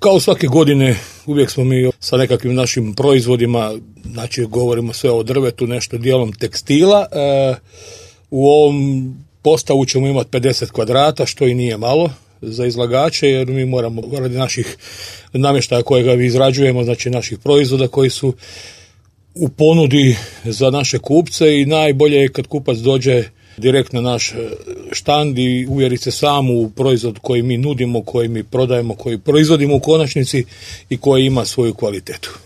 Kao svake godine uvijek smo mi sa nekakvim našim proizvodima, znači govorimo sve o drvetu, nešto dijelom tekstila. U ovom postavu ćemo imati 50 kvadrata, što i nije malo za izlagače, jer mi moramo radi naših namještaja kojega izrađujemo, znači naših proizvoda koji su u ponudi za naše kupce, i najbolje je kad kupac dođe direkt na naš štand i uvjeri se sam u proizvod koji mi nudimo, koji mi prodajemo, koji proizvodimo u konačnici i koji ima svoju kvalitetu.